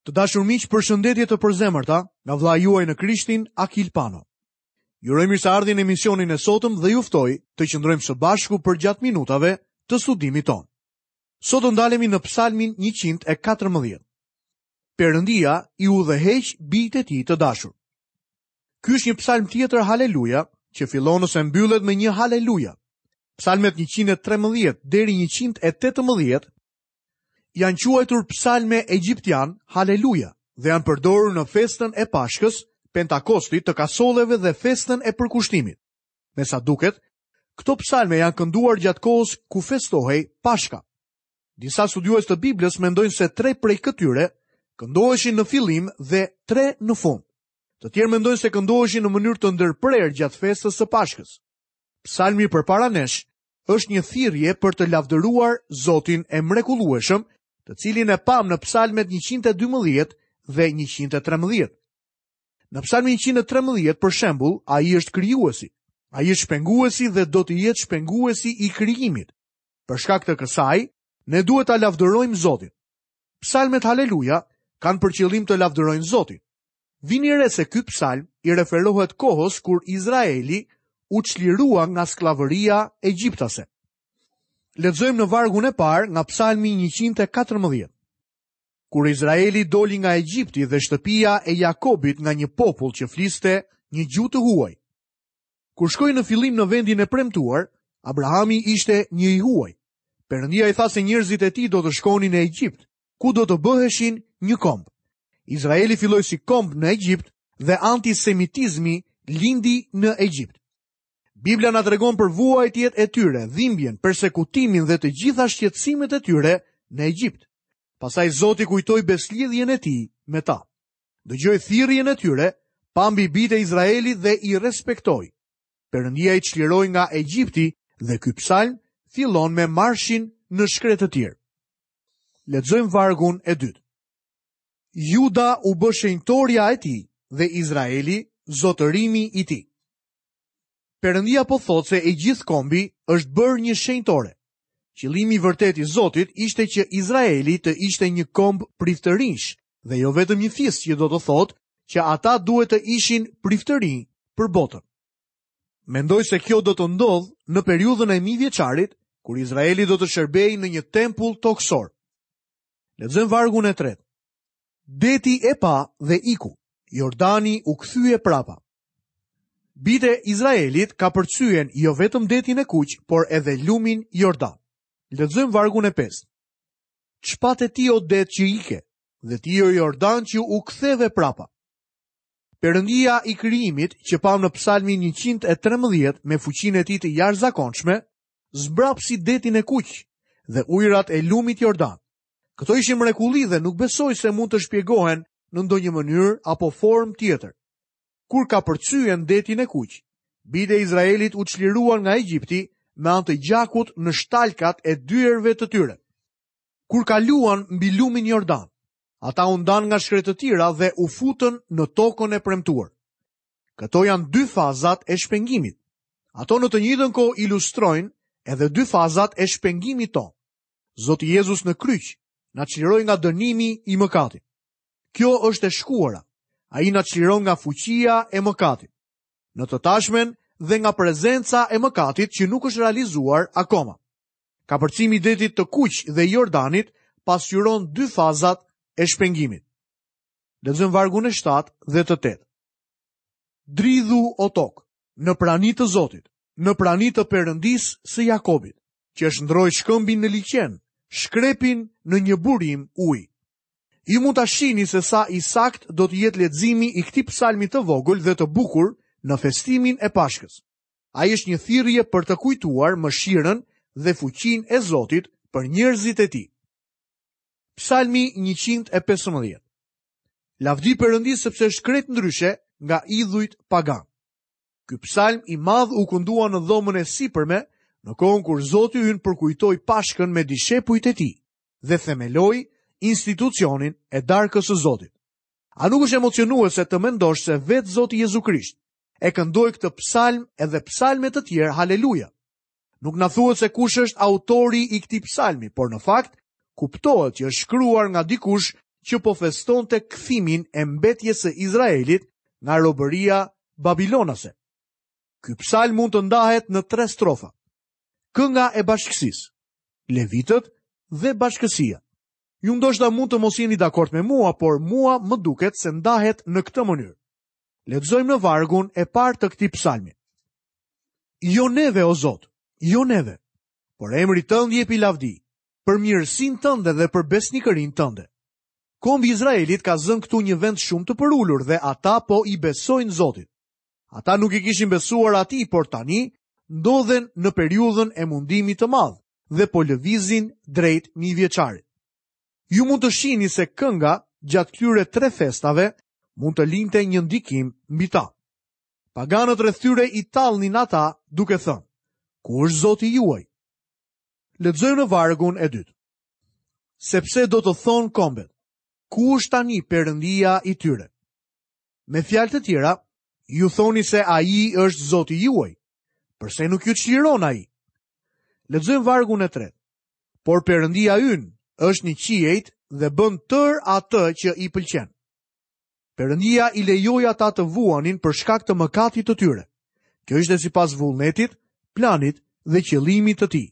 Të dashur miq, përshëndetje të përzemërta nga vëllai juaj në Krishtin, Akil Pano. Ju uroj mirëseardhjen në emisionin e sotëm dhe ju ftoj të qëndrojmë së bashku përgjatë minutave të studimit tonë. Sot do ndalemi në Psalmin 114. Perëndia i udhëheq bijtë e tij të dashur. Ky është një psalm tjetër haleluja që fillon ose mbyllet me një haleluja. Psalmet 113 deri 118 janë quajtur psalme egjiptian haleluja dhe janë përdorur në festën e Pashkës, Pentakostit të kasolleve dhe festën e përkushtimit. Me sa duket, këto psalme janë kënduar gjatë kohës ku festohej Pashka. Disa studiues të Biblës mendojnë se tre prej këtyre këndoheshin në fillim dhe tre në fund. Të tjerë mendojnë se këndoheshin në mënyrë të ndërprerë gjatë festës së Pashkës. Psalmi përpara nesh është një thirrje për të lavdëruar Zotin e mrekullueshëm, të cilin e pamë në psalmet 112 dhe 113. Në psalmin 113, për shembull, ai është krijuesi. Ai është shpenguesi dhe do të jetë shpenguesi i krijimit. Për shkak të kësaj, ne duhet ta lavdërojmë Zotin. Psalmet Haleluja kanë për qëllim të lavdërojnë Zotin. Vini re se ky psalm i referohet kohës kur Izraeli u çlirua nga skllavëria egjiptase. Lexojmë në vargun e parë nga psalmi 114. Kur Izraeli doli nga Egjipti dhe shtëpia e Jakobit nga një popull që fliste një gjuhë të huaj. Kur shkoi në fillim në vendin e premtuar, Abrahami ishte një i huaj. Perëndia i tha se njerëzit e tij do të shkonin në Egjipt, ku do të bëheshin një komb. Izraeli filloi si komb në Egjipt dhe antisemitizmi lindi në Egjipt. Bibla na tregon për vuajtjet e tyre, dhimbjen, persekutimin dhe të gjitha shqetësimet e tyre në Egjipt. Pastaj Zoti kujtoi besëlidhjen e tij me ta. Dëgjoi thirrjen e tyre, pa mbi bijtë e Izraelit dhe i respektoi. Perëndia i çliroi nga Egjipti dhe ky psalm fillon me marshin në shkretëtirë. Lexojmë vargun e dytë. Juda u bë shenjtorja e tij dhe Izraeli zotërimi i tij. Perëndia po thotë se i gjithë kombi është bërë një shenjtore. Qëllimi i vërtetë i Zotit ishte që Izraeli të ishte një komb priftërinjsh dhe jo vetëm një fis që do të thotë që ata duhet të ishin priftërinj për botën. Mendoj se kjo do të ndodhë në periudhën e mijëvjeçarit, kur Izraeli do të shërbejë në një tempull tokësor. Lexojmë vargun e tretë. Deti e pa dhe iku, Jordani u kthye prapa. Bijtë e Izraelit kapërcyen jo vetëm detin e kuq, por edhe lumin Jordan. Lexojmë vargun e pestë. Ç'pate ti o det që ike, dhe ti o Jordan që u ktheve prapa. Perëndia i krijimit që pamë në psalmin 113 me fuqinë e tij të jashtëzakonshme, zmbrapsi detin e kuq dhe ujërat e lumit Jordan. Këto ishin mrekulli dhe nuk besoj se mund të shpjegohen në ndonjë mënyrë apo formë tjetër. Kur kapërcyen detin e kuq, bijtë e Izraelit u çliruan nga Egjipti me anë të gjakut në shtalkat e dyerve të tyre. Kur kaluan mbi lumin Jordan, ata u ndanë nga shkretëtira dhe u futën në tokën e premtuar. Këto janë dy fazat e shpengimit. Ato në të njëjtën kohë ilustrojnë edhe dy fazat e shpengimit tonë. Zoti Jezus në kryq na çliroi nga dënimi i mëkatit. Kjo është e shkuara. Ai na çliron nga fuqia e mëkatit. Në të tashmen dhe nga prezenca e mëkatit që nuk është realizuar akoma. Kapërcimi i detit të Kuq dhe Jordanit pasqyron dy fazat e shpengimit. Lexojmë vargun e 7 dhe të 8. Dridhu o tokë, në prani të Zotit, në prani të Perëndisë së Jakobit, që e shndërroi shkëmbin në liqen, shkrepin në një burim uji. Ju mund ta shihni se sa i saktë do të jetë leximi i këtij psalmi të vogël dhe të bukur në festimin e Pashkës. Ai është një thirrje për të kujtuar mëshirën dhe fuqinë e Zotit për njerëzit e tij. Psalmi 115. Lavdi Perëndisë sepse është krejt ndryshe nga idhujt paganë. Ky psalm i madh u këndua në dhomën e sipërme në kohën kur Zoti ynë përkujtoi Pashkën me dishepujt e tij dhe themeloi institucionin e darkës së Zotit. A nuk është emocionuese të mendosh se vetë Zoti Jezu Krisht e këndoi këtë psalm edhe psalme të tjerë haleluja. Nuk na thuhet se kush është autori i këtij psalmi, por në fakt kuptohet që është shkruar nga dikush që po festonte kthimin e mbetjes së Izraelit nga robëria babilonase. Ky psalm mund të ndahet në tre strofa. Kënga e bashkësisë, levitët dhe bashkësia. Ju ndoshta mund të mos jeni dakord me mua, por mua më duket se ndahet në këtë mënyrë. Lexojmë në vargun e parë të këtij psalmi. Jo neve o Zot, jo neve, por emrit tënd jepi lavdi, për mirësinë tënde dhe për besnikërinë tënde. Kombi i Izraelit ka zënë këtu një vend shumë të përulur dhe ata po i besojnë Zotit. Ata nuk i kishin besuar atij, por tani ndodhen në periudhën e mundimit të madh dhe po lëvizin drejt mijëvjeçarit. Ju mund të shihni se kënga gjatë këtyre tre festave mund të linte një ndikim mbi ta. Paganët rreth tyre i tallnin ata duke thënë: Ku është Zoti juaj? Lexojmë në vargun e dytë. Sepse do të thonë kombet, ku është tani Perëndia i tyre? Me fjalë të tjera, ju thoni se ai është Zoti juaj. Përse nuk ju çliron ai? Lexojmë vargun e tretë. Por Perëndia ynë është në qiejt dhe bën tërë atë që i pëlqen. Perëndia i lejoi ata të vuanin për shkak të mëkatit të tyre. Kjo ishte sipas vullnetit, planit dhe qëllimit të tij.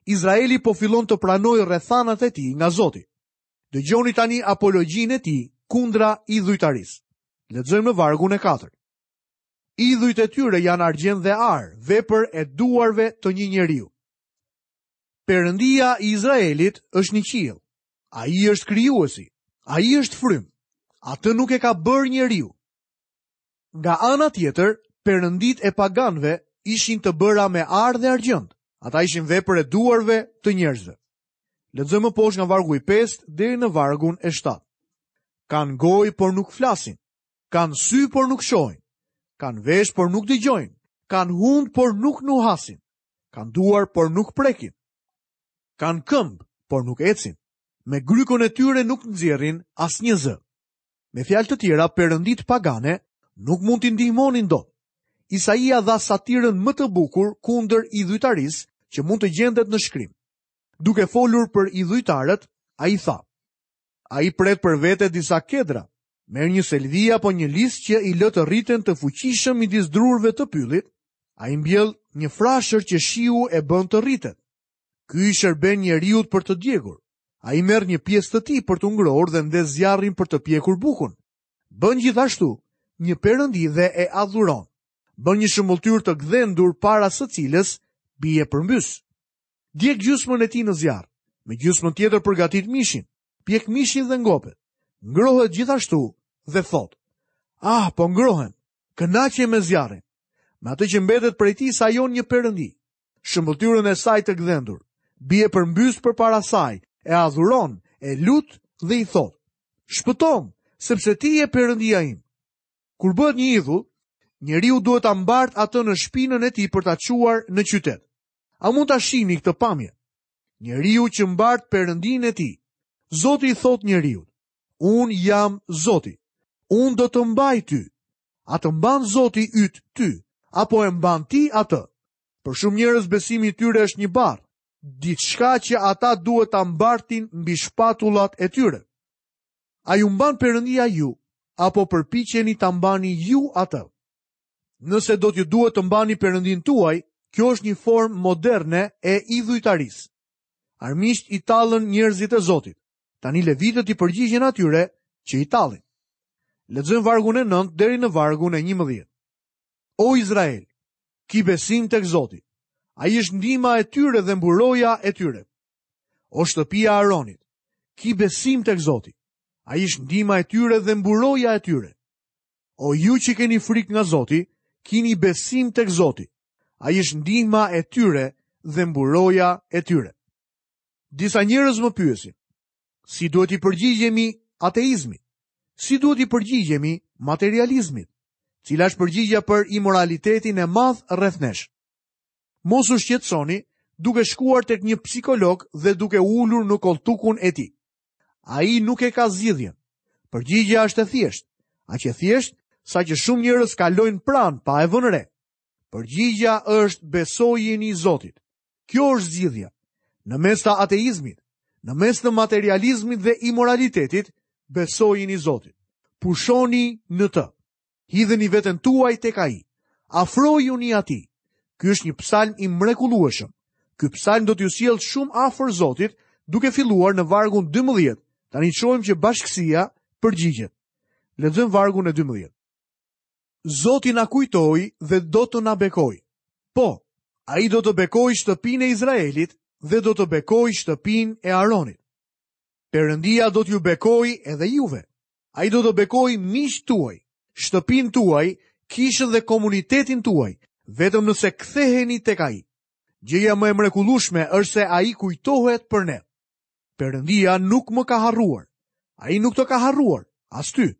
Izraeli po fillon të pranojë rrethanat e tij nga Zoti. Dëgjoni tani apologjinë e tij kundra idhujtarisë. Lexojmë në vargun e 4. Idhujt e tyre janë argjend dhe ar, vepër e duarve të një njeriu. Perëndia i Izraelit është në qiell. Ai është krijuesi. Ai është frymë. Atë nuk e ka bërë njeriu. Nga ana tjetër, perënditë e paganëve ishin të bëra me ar dhe argjend. Ata ishin vepër e duarve të njerëzve. Lexojmë më poshtë nga vargu i 5 deri në vargun e 7. Kanë gojë por nuk flasin, kanë sy por nuk shohin, kanë veshë por nuk dëgjojnë, kanë hundë por nuk nuhasin. Kanë duar, por nuk prekin. Kanë këmbë, por nuk ecin. Me grykën e tyre nuk nxjerrin asnjë zë. Me fjalë të tjera, perënditë pagane nuk mund t'i ndihmonin dot. Isaia dha satirën më të bukur kundër idhujtarisë që mund të gjendet në shkrim. Duke folur për idhujtarët, ai tha: Ai pret për vete disa kedra, merr një selvi apo një lis që i lë të rriten të fuqishëm midis drurëve të pyllit, ai mbjell një frashër që shiu e bën të rritet. Ky i shërben njeriut për të djegur. Ai merr një pjesë të tij për t'u ngrohur dhe ndez zjarrin për të pjekur bukën. Bën gjithashtu një perëndi dhe e adhuron. Bën një shëmbëlltyrë të gdhendur para së cilës bie përmbys. Djeg gjysmën e tij në zjarr, me gjysmën tjetër përgatit mishin, pjek mishin dhe ngopet. Ngrohet gjithashtu dhe thotë: Ah, po ngrohem. Kënaqem me zjarrin. Me atë që mbetet prej tij sajon një perëndi. Shëmbëlltyrën e saj të gdhendur, bie përmbys përpara saj, e adhuron, e lut dhe i thotë: Shpëtomë, sepse ti je perëndia im. Kur bëhet një idhull, njeriu duhet ta mbartë atë në shpinën e tij për ta çuar në qytet. A mund ta shihni këtë pamje? Njeriu që mbart perëndinë e tij. Zoti i thotë njeriut, unë jam Zoti. Unë do të mbaj ty. A të mban Zoti yt ty, apo e mban ti atë? Për shumë njerëz besimi i tyre është një barrë, diçka që ata duhet ta mbartin mbi shpatullat e tyre. A ju mban Perëndia ju, apo përpiqeni ta mbani ju atë? Nëse do t'ju duhet të mbani Perëndinë tuaj, kjo është një formë moderne e idhujtarisë. Armiqtë i tallën njerëzit e Zotit. Tani levitët i përgjigjen atyre që i tallin. Lexojmë vargun e 9 deri në vargun e 11. O Izrael, ki besim tek Zoti. Ai është ndihma e tyre dhe mburoja e tyre. O shtëpia e Aronit, ki besim tek Zoti. Ai është ndihma e tyre dhe mburoja e tyre. O ju që keni frikë nga Zoti, kini besim tek Zoti. Ai është ndihma e tyre dhe mburoja e tyre. Disa njerëz më pyesin, si duhet t'i përgjigjemi ateizmit? Si duhet t'i përgjigjemi materializmit? Cila është përgjigja për imoralitetin e madh rreth nesh? Mos u shqetësoni duke shkuar tek një psikolog dhe duke u ulur në kolltukun e tij. Ai nuk e ka zgjidhjen. Përgjigja është e thjeshtë, aq e thjeshtë saqë shumë njerëz kalojnë pranë pa e vënë re. Përgjigja është besojini Zotit. Kjo është zgjidhja. Në mes të ateizmit, në mes të materializmit dhe imoralitetit, Besojini Zotit. Pushoni në të. Hidheni veten tuaj tek ai. Afrojuni atij. Ky është një psalm i mrekullueshëm. Ky psalm do t'ju sjellë shumë afër Zotit, duke filluar në vargun 12. Tani shohim që bashkësia përgjigjet. Lexojmë vargun e 12. Zoti na kujtoi dhe do të na bekojë. Po, ai do të bekojë shtëpinë e Izraelit dhe do të bekojë shtëpinë e Aronit. Perëndia do t'ju bekojë edhe juve. Ai do të bekojë miqtë tuaj, shtëpinë tuaj, kishën dhe komunitetin tuaj, vetëm nëse ktheheni tek ai. Gjëja më e mrekullueshme është se ai kujtohet për ne. Perëndia nuk më ka harruar. Ai nuk të ka harruar, as ty.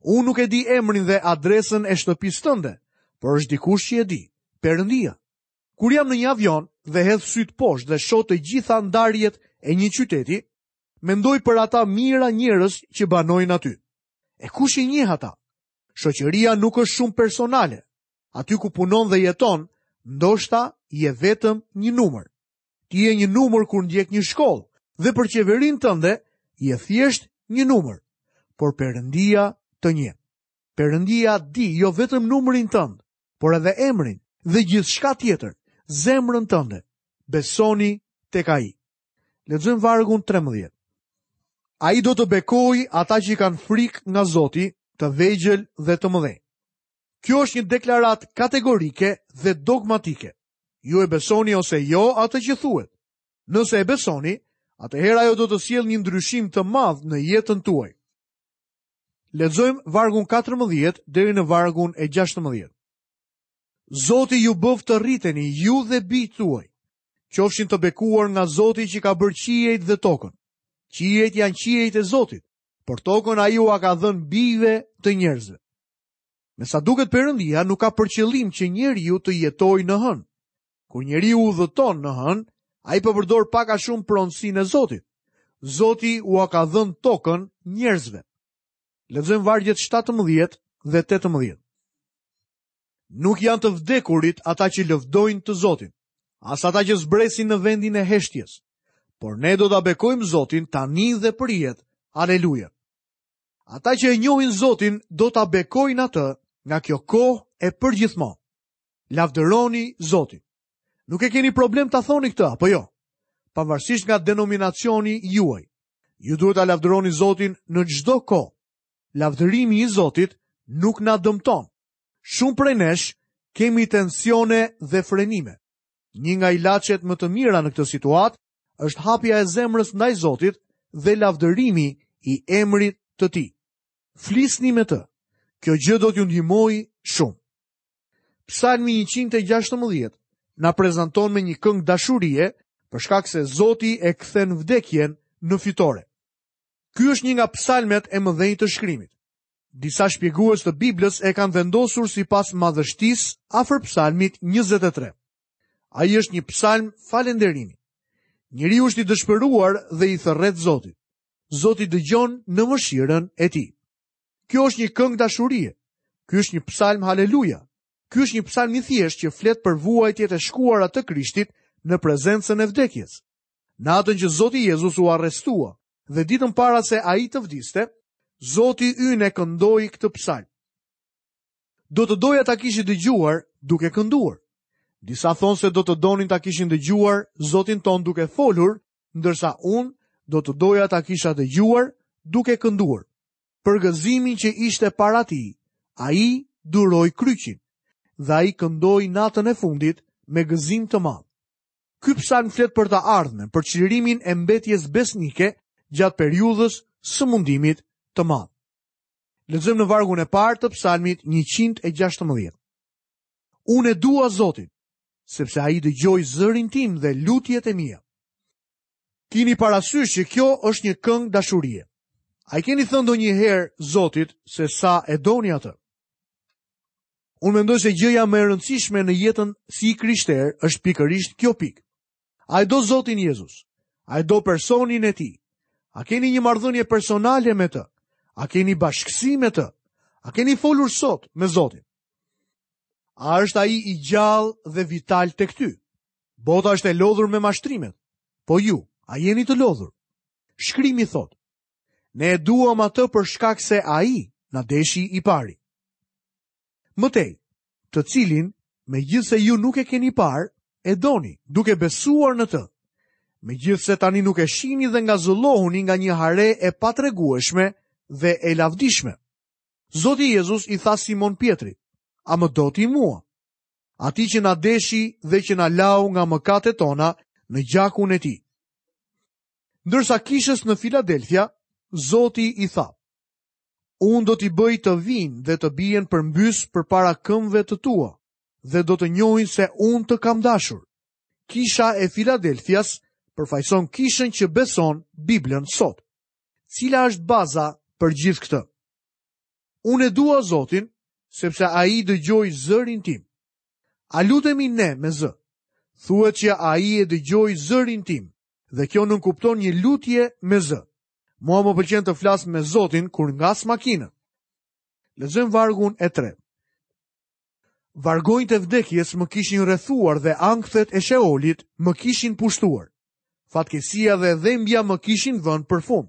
Unë nuk e di emrin dhe adresën e shtëpisë tënde, por është dikush që e di, Perëndia. Kur jam në një avion dhe hedh sytë poshtë dhe shoh të gjitha ndarjet e një qyteti, mendoj për ata mijëra njerëz që banojnë aty. E kush i njeh ata? Shoqëria nuk është shumë personale. Aty ku punon dhe jeton, ndoshta je vetëm një numër. Ti je një numër kur ndjek një shkollë dhe për qeverinë tënde je thjesht një numër. Por Perëndia të njeh. Perëndia di jo vetëm numrin tënd, por edhe emrin dhe gjithçka tjetër, zemrën tënde. Besoni tek ai. Lexojmë vargun 13. Ai do të bekojë ata që kanë frikë nga Zoti, të vegjël dhe të mëdhenj. Kjo është një deklaratë kategorike dhe dogmatike. Ju e besoni ose jo atë që thuhet. Nëse e besoni, atëherë ajo do të sjellë një ndryshim të madh në jetën tuaj. Lexojmë vargun 14 deri në vargun e 16. Zoti ju bëftë të rriteni ju dhe bijtë tuaj. Qofshin të bekuar nga Zoti që ka bërë qiejt dhe tokën. Qiejt janë qiejt e Zotit, por tokën ai ua ka dhënë bijve të njerëzve. Me sa duket Perëndia nuk ka për qëllim që njeriu të jetojë në hënë. Kur njeriu udhëton në hënë, ai po përdor pak a shumë pronësinë e Zotit. Zoti ua ka dhënë tokën njerëzve. Lexojmë vargjet 17 dhe 18. Nuk janë të vdekurit ata që lëvdojnë të Zotin, as ata që zbresin në vendin e heshtjes, por ne do ta bekojmë Zotin tani dhe përjetë. Aleluja. Ata që e njohin Zotin do ta bekojnë atë nga kjo kohë e përgjithmonë. Lavdëroni Zotin. Nuk e keni problem ta thoni këtë apo jo? Pavarësisht nga denominacioni juaj, ju duhet ta lavdëroni Zotin në çdo kohë. Lavdërimi i Zotit nuk na dëmton. Shumë prej nesh kemi tensione dhe frenime. Një nga ilaçet më të mira në këtë situatë është hapja e zemrës ndaj Zotit dhe lavdërimi i emrit të tij. Flisni me të. Kjo gjë do t'ju ndihmojë shumë. Psalmi 116 na prezanton me një këngë dashurie për shkak se Zoti e kthen vdekjen në fitore. Ky është një nga psalmet e mëdhenj të shkrimit. Disa shpjegues të Biblës e kanë vendosur sipas madhështisë afër psalmit 23. Ai është një psalm falënderimi. Njeriu është i dëshpëruar dhe i thërret Zotit. Zoti dëgjon në mëshirën e tij. Kjo është një këngë dashurie. Ky është një psalm haleluja. Ky është një psalm i thjeshtë që flet për vuajtjet e shkuara të Krishtit në prezencën e vdekjes. Natën që Zoti Jezus u arrestua dhe ditën para se ai të vdiste, Zoti ynë e këndoi këtë psalm. Do të doja ta kishit dëgjuar duke kënduar. Disa thonë se do të donin ta kishin dëgjuar Zotin tonë duke folur, ndërsa unë do të doja ta kisha dëgjuar duke kënduar. Për gëzimin që ishte para tij, ai duroi kryqin dhe ai këndoi natën e fundit me gëzim të madh. Ky psalm flet për të ardhmen, për çlirimin e mbetjes besnike gjatë periudhës së mundimit të madh. Lexojmë në vargun e parë të psalmit 116. Unë e dua Zotin, sepse ai dëgjoi zërin tim dhe lutjet e mia. Kini parasysh që kjo është një këngë dashurie. A i keni thënë ndonjëherë Zotit se sa e doni atë? Unë mendoj se gjëja më e rëndësishme në jetën si i krishterë është pikërisht kjo pikë. A e do Zotin Jezus? A e do personin e tij? A keni një marrëdhënie personale me të? A keni bashkësi me të? A keni folur sot me Zotin? A është ai i gjallë dhe vital tek ty? Bota është e lodhur me mashtrimet. Po ju, a jeni të lodhur? Shkrimi thotë: Ne e duam atë për shkak se ai na deshi i pari. Më tej, të cilin, megjithëse ju nuk e keni parë, e doni, duke besuar në të. Megjithëse tani nuk e shihni dhe ngazëllohuni nga një hare e patregueshme dhe e lavdishme. Zoti Jezus i tha Simon Pjetrit, a më do ti mua? Atij që na deshi dhe që na lau nga mëkatet tona në gjakun e tij. Ndërsa kishës në Filadelfia, Zoti i tha, Unë do t'i bëj të vijnë dhe të bien përmbys përpara këmbëve të tua dhe do të njohin se unë të kam dashur. Kisha e Filadelfias përfaqëson kishën që beson Biblën sot. Cila është baza për gjithë këtë? Unë e dua Zotin, sepse ai dëgjoi zërin tim. A lutemi ne me zë? Thuhet që ai e dëgjoi zërin tim dhe kjo nënkupton një lutje me zë. Mua më pëlqen të flas me Zotin kur ngas makinën. Lexojmë vargun e tretë. Vargonjtë e vdekjes më kishin rrethuar dhe ankthet e Sheolit më kishin pushtuar. Fatkeqësia dhe dhembja më kishin vënë përfund.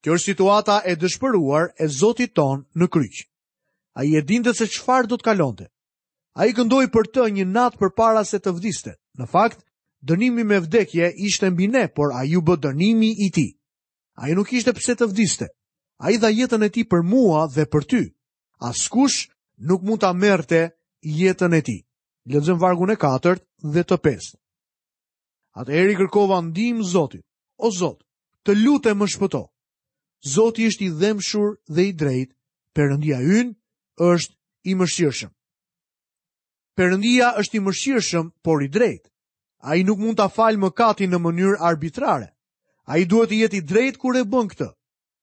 Kjo është situata e dëshpëruar e Zotit tonë në kryq. Ai e dinte se çfarë do të kalonte. Ai këndoi për të një natë përpara se të vdiste. Në fakt, dënimi me vdekje ishte mbi ne, por ai u bë dënimi i tij. Ai nuk kishte pse të vdiste. Ai dha jetën e tij për mua dhe për ty. Askush nuk mund ta merrte jetën e tij. Lexojmë vargun e katërt dhe të pestë. Atëherë i kërkova ndihmë Zotit. O Zot, të lutem më shpëto. Zoti është i dhembshur dhe i drejtë, Perëndia ynë është i mëshirshëm. Perëndia është i mëshirshëm, por i drejtë. Ai nuk mund ta falë mëkatin në mënyrë arbitrare. Ai duhet të jetë i drejtë kur e bën këtë.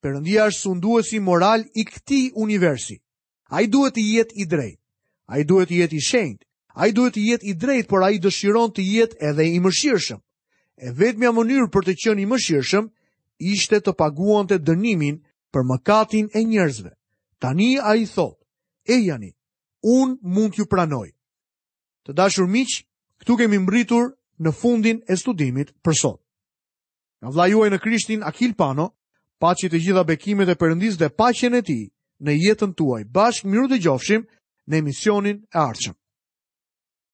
Perëndia është sunduesi moral i këtij universi. Ai duhet të jetë i drejtë. Ai duhet të jetë i shenjtë. Ai duhet të jetë i drejtë, por ai dëshiron të jetë edhe i mëshirshëm. E vetmja mënyrë për të qenë i mëshirshëm ishte të paguante dënimin për mëkatin e njerëzve. Tani ai thotë, ejani, unë mund t'ju pranoj. Të dashur miq, këtu kemi mbërritur në fundin e studimit për sot. Nga vëllai juaj në Krishtin Akil Pano, paçi të gjitha bekimet e Perëndisë dhe paqen e tij në jetën tuaj. Bashkë mirudëgjofshim në emisionin e ardhshëm.